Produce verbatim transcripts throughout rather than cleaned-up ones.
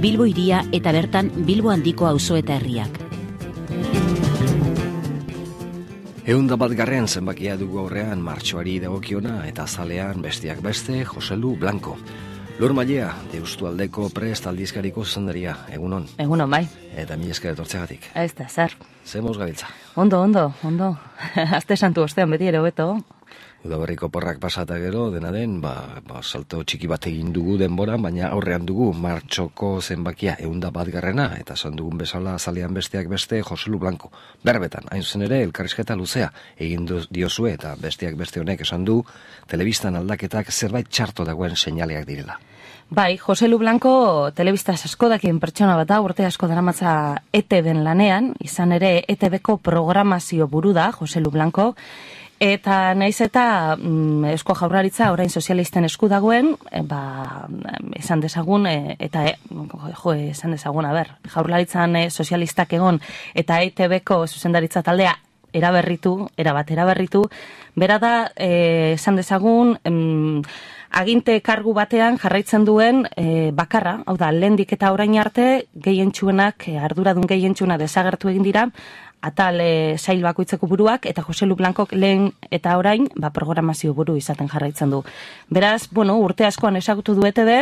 Bilbo hiria eta bertan Bilbo handiko auzo eta herriak. Ehunda bat garren zenbakia dugu aurrean martxoari dagokiona eta azalean besteak beste Joselu Blanco. Lur Mailea, Deustualdeko Prest aldizkariko zuzendaria, egunon. Egunon, bai. Eta mila esker etortzegatik. Ez da, zer. Zemoz gabiltza. Ondo, ondo, ondo. Azte santu ostean beti ere hobeto. Udaberriko porrak pasata gero, dena den, ba, ba, salto txiki bat egin dugu denboran, baina aurrean dugu martxoko zenbakia ehunda bat garrena, eta esan dugun bezala azalean besteak beste Joselu Blanco. Berbetan, hain zuzen ere, elkarrizketa luzea egin diozue, eta besteak beste honek esan du, telebistan aldaketak zerbait txarto dagoen seinaleak direla. Bai, Joselu Blanco telebistaz asko dakien pertsona bat da, urte asko daramatza E T B-en lanean, izan ere E T B-ko programazio buru da, Joselu Blanco, eta naiz eta mm, Eusko Jaurlaritza orain sozialisten esku dagoen, e, ba, esan dezagun, e, eta e, jo, esan dezagun, a ber, Jaurlaritzan e, sozialistak egon, eta E T B-ko zuzendaritza taldea eraberritu, erabat eraberritu, bera da, e, esan dezagun, em, aginte kargu batean jarraitzen duen e, bakarra, hau da, lehendik eta orain arte gehientsuenak, e, arduradun gehientsuena desagertu egin dira, atal e, sail bakoitzeko buruak, eta Joselu Blancok lehen eta orain ba, programazio buru izaten jarraitzen du. Beraz, bueno, urte askoan ezagutu du E T B,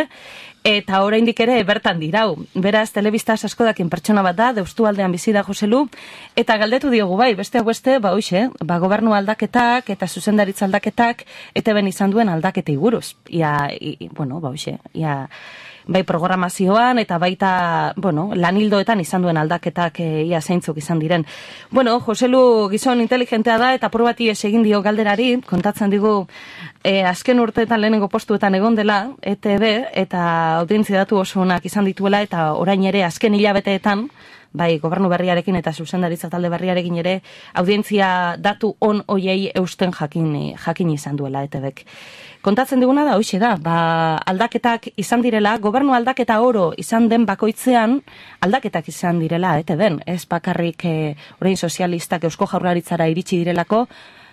eta oraindik ere bertan dirau. Beraz, telebistaz asko dakien pertsona bat da, Deustualdean bizi da Joselu, eta galdetu diogu bai, besteak beste, ba hoxe, ba, gobernu aldaketak eta zuzendaritza aldaketak E T B-en izan duen aldaketei buruz. Ia, i, bueno, ba hoxe, ia, bai programazioan eta baita, bueno, lanildoetan izan duen aldaketak e, ia zeintzuk izan diren. Bueno, Joselu gizon inteligentea da eta probati ez egin dio galderari, kontatzen digu e, azken urteetan lehenengo postuetan egon dela E T B eta audientzia datu oso onak izan dituela eta orain ere azken hilabeteetan, bai gobernu berriarekin eta zuzendaritza talde berriarekin ere audientzia datu on hoiei eusten jakin, jakin izan duela E T B-ek. Kontatzen diguna da, hoxe da, ba, aldaketak izan direla, gobernu aldaketa oro izan den bakoitzean, aldaketak izan direla, E T B-en, ez bakarrik e, orain sozialistak Eusko Jaurlaritzara iritsi direlako,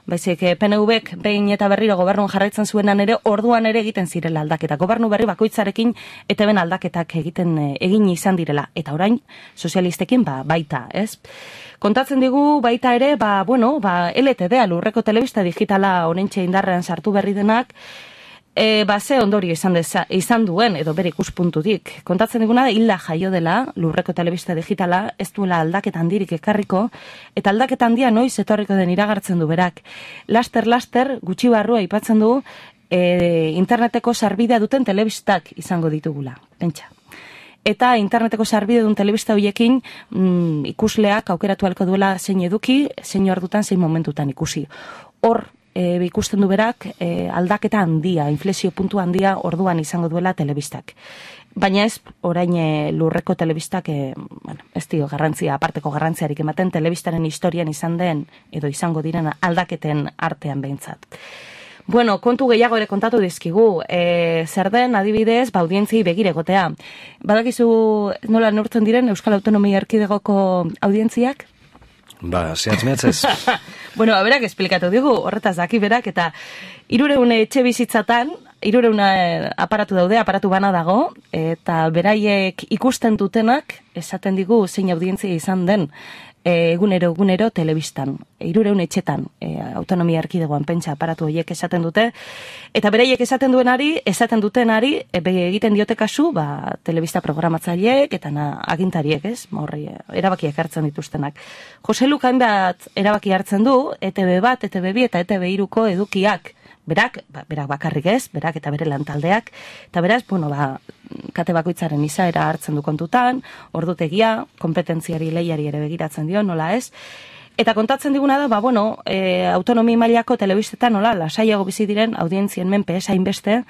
baizik P N V-ek behin eta berriro gobernuan jarraitzen zuenan ere, orduan ere egiten zirela aldaketa. Gobernu berri bakoitzarekin E T B-en aldaketak egiten egin izan direla, eta orain sozialistekin ba, baita, ez? Kontatzen digu baita ere, ba, bueno, ba, L T D-a, Lurreko Telebista Digitala onentxe indarrean sartu berri denak, e, ba, ze ondorio izan, deza, izan duen, edo bere ikuspuntutik. Kontatzen diguna da, hilda jaio dela, Lurreko Telebista Digitala, ez duela aldaketa handirik ekarriko, eta aldaketa handia noiz etorriko den iragartzen du berak. Laster-laster, gutxi barrua aipatzen du, e, interneteko sarbidea duten telebistak izango ditugula, pentsa. Eta interneteko sarbide duen telebista horiekin mm, ikusleak aukeratu halko duela zein eduki, zein ordutan, zein momentutan ikusi. Hor e, ikusten du berak e, aldaketa handia, inflexio puntu handia orduan izango duela telebistak. Baina ez orain e, Lurreko telebistak e, bueno, ez dio garrantzia, aparteko garrantziarik ematen telebistaren historian izan den edo izango diren aldaketen artean behintzat. Bueno, kontu gehiago ere kontatu dizkigu, e, zer den adibidez, ba, audientziei begire egotea. Badakizu nola neurtzen diren Euskal Autonomia Erkidegoko audientziak? Ba, zehatz mehatzez. Bueno, berak esplikatu digu, horretaz daki berak, eta hirureun etxe bizitzatan, hirureun aparatu daude, aparatu bana dago, eta beraiek ikusten dutenak, esaten digu zein audientzia izan den, egunero egunero telebistan, hirureun etxetan, e, Autonomia Erkidegoan pentsa aparatu horiek esaten dute, eta beraiek esaten duenari, esaten dutenari, e, egiten diote kasu, ba, telebista programatzaileek eta na, agintariek, ez? Horri, erabakiak hartzen dituztenak. Joselu hainbat erabaki hartzen du, E T B bat, E T B bi eta E T B hiruko edukiak, berak, ba, berak bakarrik ez, berak eta bere lantaldeak, eta beraz, bueno, ba, kate bakoitzaren izaera hartzen du kontutan, ordutegia, kompetentziari lehiari ere begiratzen dio, nola ez, eta kontatzen diguna da, ba, bueno, e, autonomi mailako telebistetan, nola, lasaiago bizi diren audientzien menpe esain beste,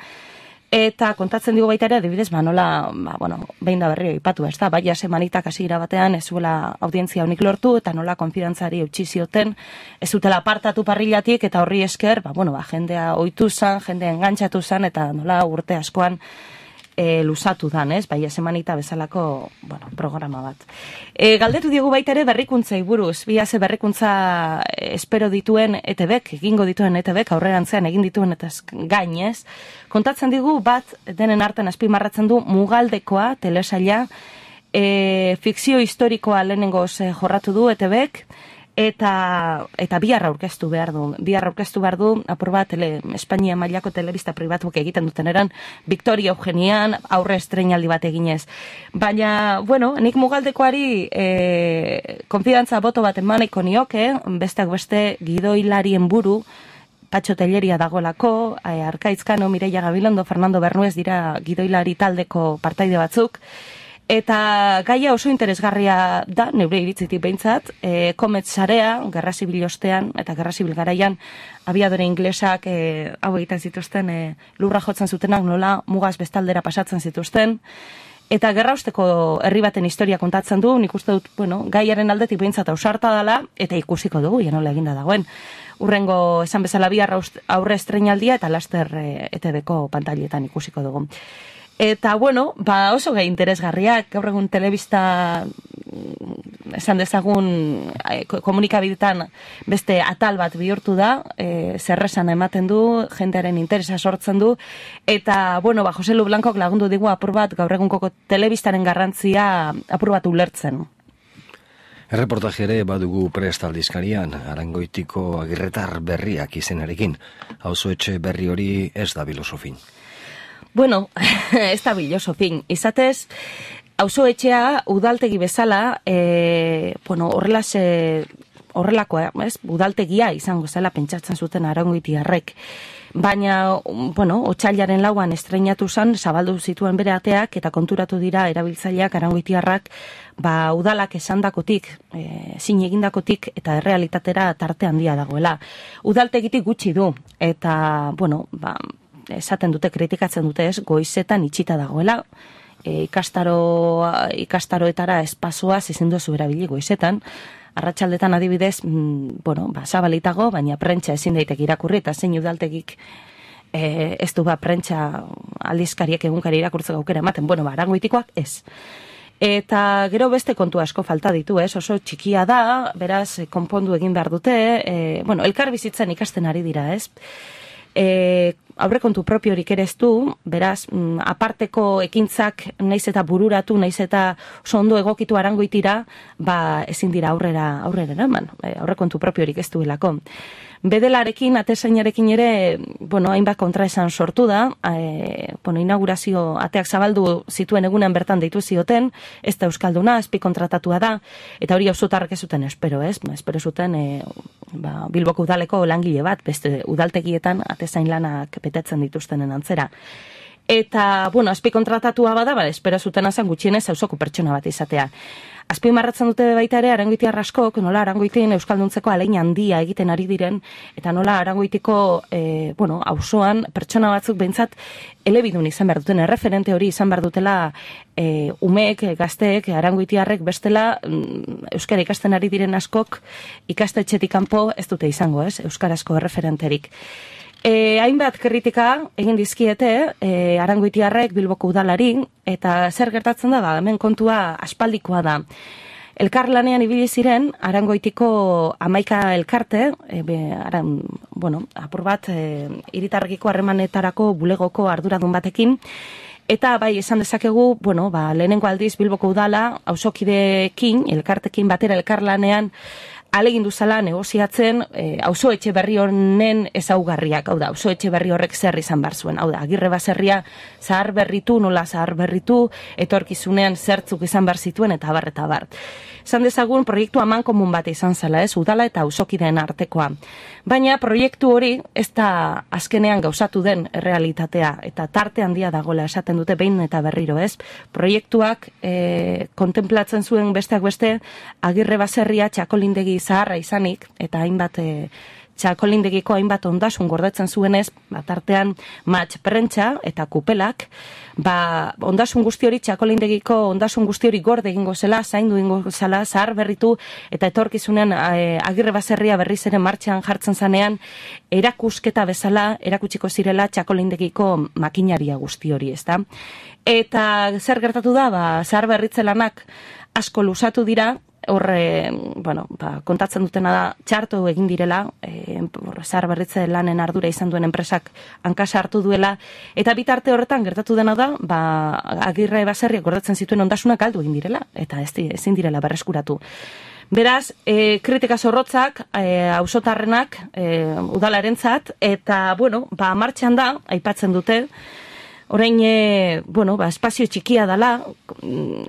eta kontatzen digu baita ere, adibidez, ba, nola, ba, bueno, behin da berrio ipatu, ez da, baina semanitak hasiera batean ez zuela audientzia honik lortu, eta nola konfidantzari eutxi zioten, ez zutela apartatu parrilatik, eta horri esker, ba, bueno, ba, jendea ohitu zan, jendea engantzatu zan, eta nola urte askoan, e, lusatu dan, ez? Bai, esemanita bezalako, bueno, programa bat. E, galdetu diegu baita ere berrikuntzei buruz, bi ze berrikuntza espero dituen E T Bek, egingo dituen E T Bek, aurrerantzean egin dituen eta gainez, kontatzen digu bat denen artean azpimarratzen du Mugaldekoa telesaila, e, fikzio historikoa lehenengoz e, jorratu du E T Bek, eta eta bihar aurkeztu behar du. Bihar aurkeztu behar du, apur bat, tele, Espainia mailako telebista pribatuak egiten duten eran, Victoria Eugenian, aurre estreinaldi bat eginez. Baina, bueno, nik Mugaldekoari e, konfidantza boto bat emaneko nioke, besteak beste gidoilarien buru, Patxo Telleria dagoelako, e, Arkaitzkano, Mireia Gabilondo, Fernando Bernuez dira gidoilari taldeko partaide batzuk, eta gaia oso interesgarria da, neure iritzitik behintzat, e, Komet sarea, Gerra Zibil ostean, eta Gerra Zibil garaian, abiadore inglesak e, hau egiten zituzten, e, lurra jotzen zutenak nola mugaz bestaldera pasatzen zituzten, eta gerra osteko herri baten historia kontatzen du, nik uste dut, bueno, gaiaren aldetik behintzat ausarta dela, eta ikusiko dugu, ja nola eginda dagoen. Urrengo, esan bezala bihar aurre estreinaldia, eta laster e, E T Bko pantailetan ikusiko dugu. Eta, bueno, ba oso gai interesgarriak, gaur egun telebista, esan dezagun, komunikabidetan beste atal bat bihurtu da, e, zerresan ematen du, jendearen interesa sortzen du, eta, bueno, ba, Jose Lu Blancok lagundu digu apur bat, gaur egunkoko telebistaren garrantzia apur bat ulertzen. Erreportaje ere badugu prest aldizkarian, Arangoitiko agirretar berriak izenarekin, auzoetxe berri hori ez da filosofin. Bueno, ez da filosofin. Izatez, auzoetxea udaltegi bezala, e, bueno, horrelase, horrelakoa, ez? Udaltegia izango zela pentsatzen zuten Arangoitiarrek. Baina, bueno, otsailaren lauan estreinatu zen, zabaldu zituen bere ateak, eta konturatu dira erabiltzaileak Arangoitiarrak, ba, udalak esandakotik, e, zin egindakotik, eta errealitatera tarte handia dagoela. Udaltegitik gutxi du, eta, bueno, ba, esaten dute, kritikatzen dute ez, goizetan itxita dagoela, e, ikastaro, ikastaroetara espazoa ezin duzu erabili goizetan, arratsaldetan adibidez, mm, bueno, ba, zabalitago, baina prentsa ezin daitek irakurri, eta zein udaltegik e, ez du ba, prentsa aldizkariek egunkari irakurtzeko aukera ematen, bueno, ba, Arangoitikoak ez. Eta gero beste kontu asko falta ditu, ez? Oso txikia da, beraz, konpondu egin behar dute, e, bueno, elkar bizitzen ikasten ari dira, ez? E, aurrekontu propiorik ere ez du, beraz, mm, aparteko ekintzak naiz eta bururatu, naiz eta oso ondo egokitu Arangoitira, ba, ezin dira aurrera, aurrera eraman, e, aurrekontu propiorik ez duelako. Bedelarekin, atezainarekin ere, bueno, hainbat kontraesan sortu da, e, bueno, inaugurazio ateak zabaldu zituen egunean bertan deitu zioten, ez da euskalduna, azpi kontratatua da, eta hori auzotarrek ez zuten espero, ez? Espero zuten e, ba, Bilboko udaleko langile bat, beste udaltegietan atezain lanak betetzen dituztenen antzera. Eta, bueno, azpi kontratatua bada, ba, espero zuten azan gutxienez auzoko pertsona bat izatea. Azpimarratzen dute baita ere Arangoitiar askok, nola Arangoitien euskalduntzeko ahalegin handia egiten ari diren, eta nola Arangoitiko, e, bueno, auzoan pertsona batzuk behintzat elebidun izan behar duten, erreferente hori izan behar dutela e, umeek, gazteek, Arangoitiarrek bestela mm, euskara ikasten ari diren askok ikastetxetik kanpo ez dute izango, ez, euskarazko erreferenterik. E, hainbat kritika egin dizkiete e, Arangoitiarrek Bilboko udalari, eta zer gertatzen da, ba, hemen kontua aspaldikoa da. Elkarlanean ibili ziren Arangoitiko hamaika elkarte, e, be, aran, bueno, apur bat e, hiritarrekiko harremanetarako bulegoko arduradun batekin, eta bai esan dezakegu, bueno, ba, lehenengo aldiz Bilboko udala auzokideekin, elkartekin batera elkarlanean alegin duzala negoziatzen e, auzoetxe berri honen ezaugarriak, hau da, auzoetxe berri horrek zer izan bar zuen, hau da, Agirre baserria zahar berritu, nola zahar berritu, etorkizunean zertzuk izan bar zituen, eta bar, eta bar. Esan dezagun, proiektu aman komun bat izan zela, ez, udala eta auzokideen artekoa. Baina proiektu hori ez da azkenean gauzatu den realitatea, eta tarte handia dagoela esaten dute behin eta berriro, ez. Proiektuak e, kontemplatzen zuen besteak beste, Agirre baserria txakolindegi zaharra izanik, eta hainbat e, txakolindegiko hainbat ondasun gordetzen zuenez, bat artean matx prentsa eta kupelak, ba, ondasun guzti hori, txakolindegiko ondasun guzti hori gorde egingo zela, zaindu egingo zela, zahar berritu, eta etorkizunean e, Agirre baserria berriz ere martxan jartzen zanean, erakusketa bezala, erakutsiko zirela txakolindegiko makinaria guzti hori, ezta? Eta zer gertatu da, ba, zahar berritze lanak asko luzatu dira, horre, bueno, ba, kontatzen dutena da, txarto egin direla, e, zahar berritze lanen ardura izan duen enpresak hankasa hartu duela, eta bitarte horretan gertatu dena da, ba, Agirre baserriak gordetzen zituen ondasunak galdu egin direla, eta ez, ezin direla berreskuratu. Beraz, e, kritika zorrotzak, e, auzotarrenak, e, udalarentzat, eta, bueno, ba, martxan da, aipatzen dute, orain, e, bueno, ba, espazio txikia dela,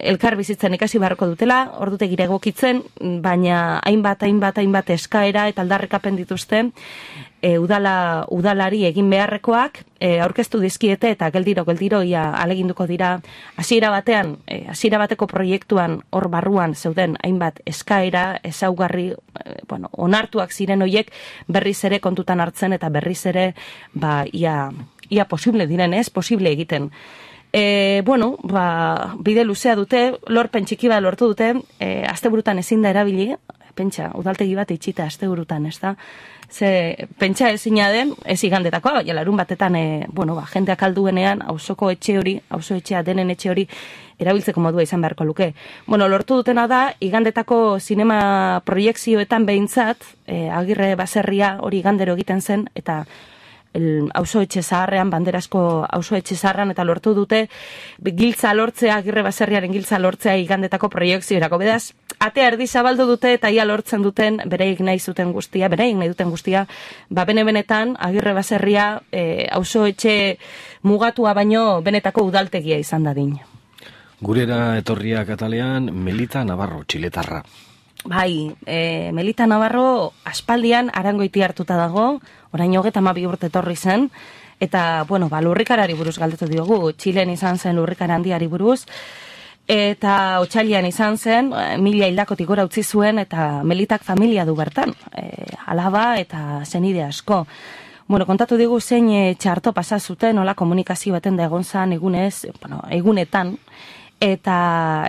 elkar bizitzen ikasi beharko dutela, ordutegira egokitzen, baina hainbat, hainbat, hainbat eskaera eta aldarrikapen dituzte, e, udala, udalari egin beharrekoak, e, aurkeztu dizkiete eta geldiro, geldiro, ia aleginduko dira, hasiera batean, e, hasiera bateko proiektuan hor barruan zeuden hainbat eskaera, ezaugarri, e, bueno, onartuak ziren hoiek berriz ere kontutan hartzen eta berriz ere, ba, ia, ia posible diren, ez, posible egiten. E, bueno, ba, bide luzea dute, lorpen txiki bat lortu dute, e, asteburutan ezin da erabili, pentsa, udaltegi bat itxita asteburutan, ez da? Ze, pentsa ezina den, ez igandetakoa, baina larun batetan, e, bueno, ba, jendeak alduenean, auzoko etxe hori, auzo etxea denen etxe hori, erabiltzeko modua izan beharko luke. Bueno, lortu dutena da, igandetako zinema proiekzioetan behintzat, e, Agirre baserria hori igandero egiten zen, eta auzo etxe zaharrean, banderasko auzo etxe zaharrean, eta lortu dute giltza lortzea, Agirre baserriaren giltza lortzea igandetako proiekziorako. Bedaz, atea erdi zabaldu dute eta ia lortzen duten, bereik nahi zuten guztia, bereik nahi duten guztia, ba bene-benetan Agirre baserria e, auzo etxe mugatua baino benetako udaltegia izan dadin. Gurera etorria Katalean, Melita Navarro, txiletarra. Bai, e, Melita Navarro aspaldian Arangoiti hartuta dago, orain hogeta hamabi urte etorri zen, eta, bueno, ba, lurrikarari buruz galdetu diogu, Txilen izan zen lurrikara handiari buruz, eta Otsailean izan zen, mila hildakotik gora utzi zuen, eta Melitak familia du bertan, e, alaba eta zenide asko. Bueno, kontatu digu zein e, txarto pasa zuten, nola komunikazio baten da egon zan egunez, bueno, egunetan, eta,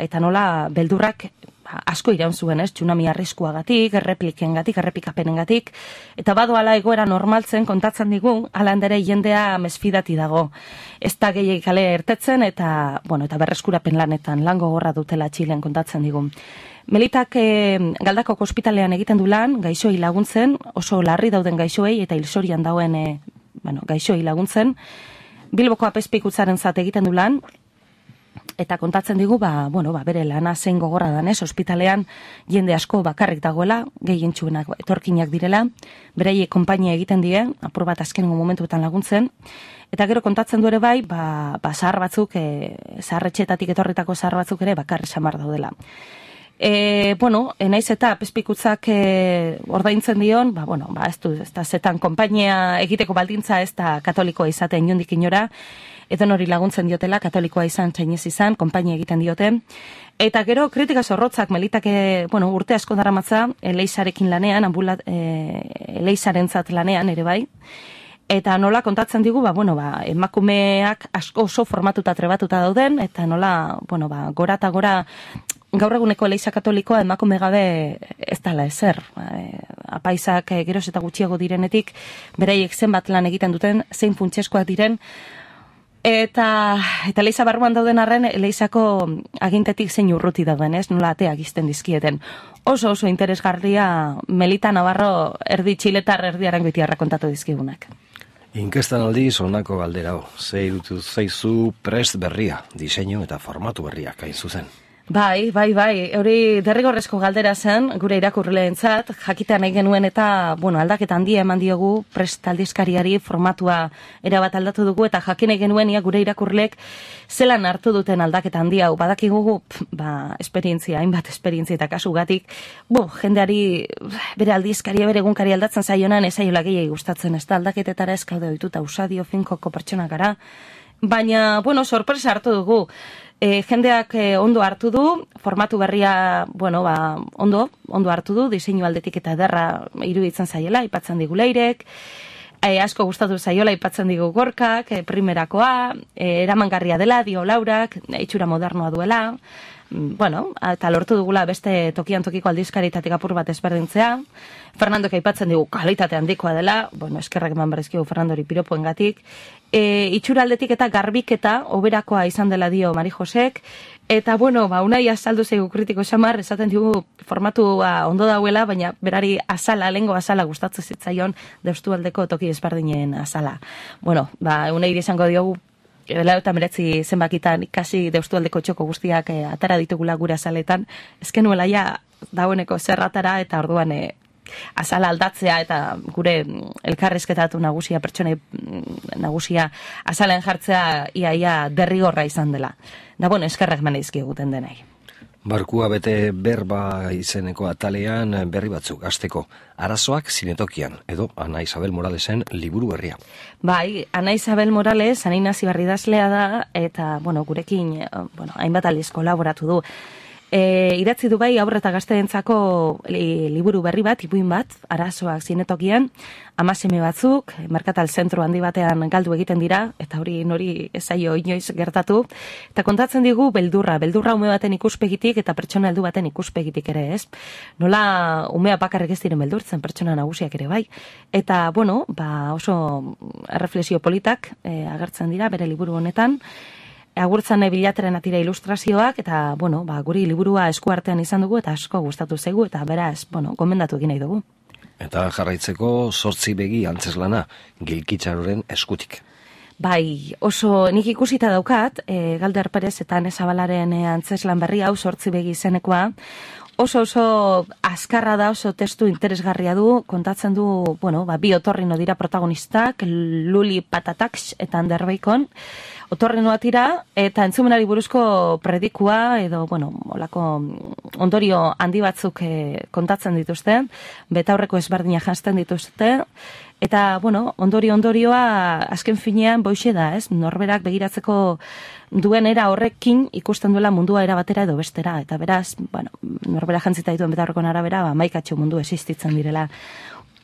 eta nola beldurrak asko iraun zuen, ez, tsunami arriskuagatik, erreplikengatik, errepikapenengatik, eta badoala egoera normaltzen kontatzen digu, alandere jendea mesfidati dago. Ez da gehiagik kale ertetzen, eta, bueno, eta berreskurapen lanetan, lango gorra dutela Txilen kontatzen digu. Melitak e, Galdakoko ospitalean egiten du lan, gaixoei laguntzen, oso larri dauden gaixoei, eta hilsorian dauen e, bueno, gaixoei laguntzen. Bilboko apezpikutzaren zat egiten du lan, eta kontatzen digu, ba, bueno, ba, bere lana zein gogorra danez, ospitalean jende asko bakarrik dagoela, gehientsuenak etorkinak direla, bereiek konpainia egiten die, apur bat azkenengo momentuetan laguntzen, eta gero kontatzen du ere bai, ba, ba zahar batzuk, e, zaharretxeetatik etorritako zahar batzuk ere bakarri samar daudela. E, bueno, naiz eta apezpikutzak e, ordaintzen dion, ba, bueno, ba, ez du, ez da zetan konpainia egiteko baldintza ez da katolikoa izaten inondik inora, edo nori laguntzen diotela, katolikoa izan, txainez izan, konpainia egiten diote. Eta gero, kritika zorrotzak, Melitake, bueno, urte asko daramatza, Eleizarekin lanean, ambulat, e, Eleizarentzat lanean, ere bai. Eta nola kontatzen digu, ba, bueno, ba, emakumeak asko oso formatuta trebatuta dauden, eta nola, bueno, ba, gora eta gora, gaur eguneko Eleiza katolikoa emakume gabe ez dala ezer. E, apaizak e, geroz eta gutxiago direnetik, beraiek zenbat lan egiten duten, zein funtseskoak diren, Eta, eta Eleiza barruan dauden arren, Eleizako agintetik zein urruti dauden, ez? Nola ateak izten dizkieten. Oso oso interesgarria Melita Navarro erdi txiletar erdi Arangoitiarra kontatu dizkigunak. Inkestan aldiz honako galdera, ze irutu zaizu prest berria, diseinu eta formatu berriak hain zuzen. Bai, bai, bai, hori derrigorrezko galdera zen, gure irakurleentzat, jakitea nahi genuen eta, bueno, aldaketa handia eman diogu, prest aldizkariari formatua erabat aldatu dugu, eta jakin nahi genuen ia gure irakurleek zelan hartu duten aldaketa handia, hau badakigugu, ba, esperientzia, hainbat esperientzia eta kasugatik, bo, jendeari bere aldizkaria, bere egunkari aldatzen zaionan, ezaiola gehiagi gustatzen, ez da aldaketetara eskaude oituta usadio finkoko pertsona gara, baina, bueno, sorpresa hartu dugu. E, jendeak e, ondo hartu du, formatu berria, bueno, ba, ondo, ondo hartu du, diseinu aldetik eta ederra iruditzen zaiela, aipatzen digu Leirek, e, asko gustatu zaiola aipatzen digu Gorkak, e, primerakoa, e, eramangarria dela, dio Laurak, e, itxura modernoa duela, bueno, eta lortu dugula beste tokian tokiko aldizkaritatik apur bat ezberdintzea. Fernandok aipatzen digu kalitate handikoa dela, bueno, eskerrak eman berrizkigu Fernandori piropoengatik. E, itxura aldetik eta garbiketa oberakoa izan dela dio Mari Josek, eta bueno, ba, unai azaldu zeigu kritiko xamar, esaten digu formatua ondo dauela, baina berari azala, lengo azala gustatzen zitzaion Deustualdeko toki ezberdinen azala. Bueno, ba, unai izango diogu Bela eta meretzi zenbakitan ikasi Deustualdeko txoko guztiak e, atara ditugula gure azaletan, ezken nuela ja dagoeneko zerratara eta orduan e, azala aldatzea eta gure elkarrizketatu nagusia, pertsonei nagusia azalen jartzea iaia derrigorra izan dela. Da bueno, eskerrak maneizki eguten denai. Barkua bete berba izeneko atalean berri batzuk hasteko arazoak zinetokian, edo Ana Isabel Moralesen liburu berria. Bai, Ana Isabel Morales, Ana Inazi idazlea da, eta, bueno, gurekin, bueno, hainbat aldiz kolaboratu du. E, idatzi du bai aurre eta gazteentzako li, liburu berri bat, ipuin bat, arazoak zinetokian, amaseme batzuk, merkatal zentro handi batean galdu egiten dira, eta hori nori ezaio inoiz gertatu, eta kontatzen digu beldurra, beldurra ume baten ikuspegitik eta pertsona heldu baten ikuspegitik ere, ez? Nola umea bakarrik ez diren beldurtzen, pertsona nagusiak ere bai. Eta, bueno, ba oso erreflexio politak e, agertzen dira bere liburu honetan, agurtzan bilateren atira ilustrazioak, eta, bueno, ba, guri liburua eskuartean izan dugu, eta asko gustatu zaigu, eta beraz, bueno, gomendatu egin nahi dugu. Eta jarraitzeko zortzi begi antzeslana, Gilkitxaroren eskutik. Bai, oso nik ikusita daukat, e, Galder Perez eta Nezabalaren e, antzeslan berri hau zortzi begi izenekoa, oso oso azkarra da, oso testu interesgarria du, kontatzen du, bueno, ba, bi otorrino dira protagonistak, Luli Patataks eta Ander Bacon, otorrinoa tira, eta entzumenari buruzko predikua, edo, bueno, olako ondorio handi batzuk e, kontatzen dituzte, betaurreko ezberdina janzten dituzte, eta, bueno, ondorio ondorioa azken finean boixe da, ez? Norberak begiratzeko duen era horrekin ikusten duela mundua era batera edo bestera, eta beraz, bueno, norbera jantzita dituen betaurrekon arabera, ba, maikatxo mundu existitzen direla.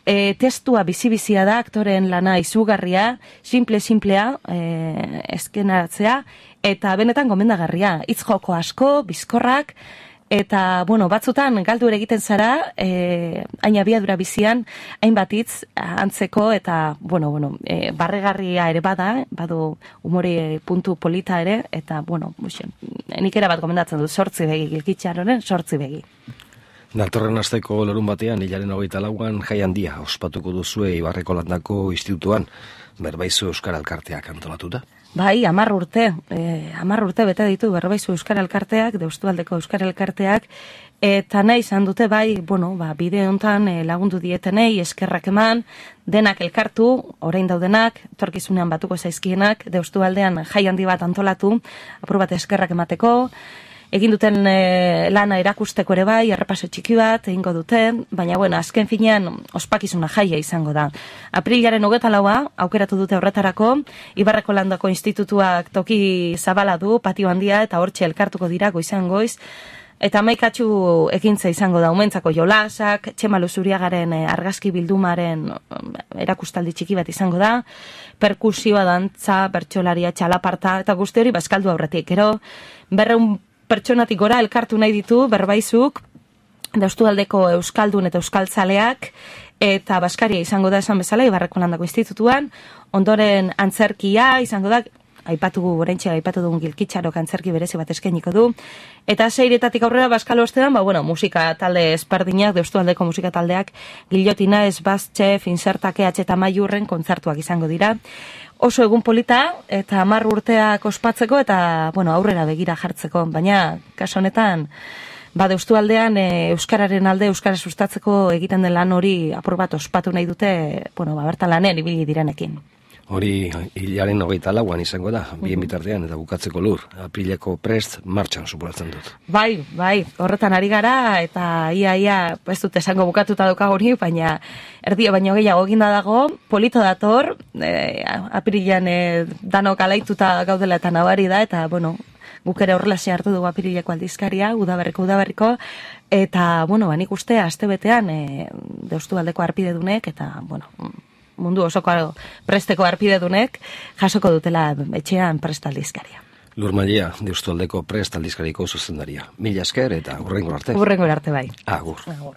E, testua bizi-bizia da, aktoren lana izugarria, simple-simplea, e, eskenaratzea, eta benetan gomendagarria, hitz joko asko, bizkorrak, eta, bueno, batzutan galdu ere egiten zara, e, hain abiadura bizian, hainbat hitz antzeko, eta, bueno, bueno, e, barregarria ere bada, badu umore puntu polita ere, eta, bueno, buxen, nik ere bat gomendatzen du, sortzi begi, Gilkitxaroren sortzi begi. Datorren asteko larun batean, hilaren hogeita lauan, jai handia ospatuko duzue Ibarreko Landako Institutuan, Berbaizu Euskara Elkarteak antolatuta. Bai, hamar urte, eh, hamar urte bete ditu Berbaizu Euskara Elkarteak, Deustualdeko Euskara Elkarteak, eta nahi izan dute bai, bueno, ba, bide hontan eh, lagundu dietenei, eskerrak eman, denak elkartu, orain daudenak, torkizunean batuko zaizkienak, Deustualdean jai handi bat antolatu, apur bat eskerrak emateko, egin duten e, lana erakusteko ere bai, errepaso txiki bat, egingo duten, baina, bueno, azken finean ospakizuna jaia izango da. Aprilaren hogeta laua, aukeratu dute horretarako, Ibarreko Landako Institutuak toki zabala du, patio handia, eta hortxe elkartuko dira goizan goiz, eta maikatxu ekintza izango da, umentzako jolasak, Txema Luzuriagaren e, argazki bildumaren erakustaldi txiki bat izango da, perkusioa, dantza, bertsolaria, txalaparta, eta guzti hori bazkaldu aurretik, gero, berreun pertsonatik gora elkartu nahi ditu Berbaizuk, Deustualdeko Euskaldun eta Euskaltzaleak, eta Baskaria izango da esan bezala Ibarreko Landako Institutuan, ondoren antzerkia izango da, aipatu oraintxe aipatu dugun Gilkitxarok antzerki berezi bat eskainiko du, eta seiretatik aurrera Baskalo ostean, ba, bueno, musika talde ezberdinak, Deustualdeko musika taldeak, Gillotina, Esbaztxe, Finsertake, eta Maiurren kontzertuak izango dira, oso egun polita, eta hamar urteak ospatzeko, eta, bueno, aurrera begira jartzeko, baina, kaso honetan, ba, Deustualdean e, Euskararen alde, Euskara sustatzeko egiten den lan hori apur bat ospatu nahi dute, bueno, ba, bertan lanean ibili direnekin. Hori hilaren hogeita lauan izango da, bien bitartean eta bukatzeko lur. Aprileko prest martxan supuratzen dut. Bai, bai, horretan ari gara, eta ia, ia, ez dut esango bukatuta dauka hori, baina erdio baino gehiago eginda dago, polito dator, e, aprilean e, danok alaituta gaudela eta nabari da, eta, bueno, guk ere horrelaxe hartu dugu apirileko aldizkaria, udaberriko udaberriko, eta, bueno, banik uste, aste betean, e, Deustu aldeko arpidedunek, eta, bueno, mundu osoko presteko arpidedunek, jasoko dutela etxean prest aldizkaria. Lur Maria, Deustu aldeko prest aldizkariko zuzendaria. Mila esker eta hurrengo arte. Hurrengo arte bai. Agur. Agur.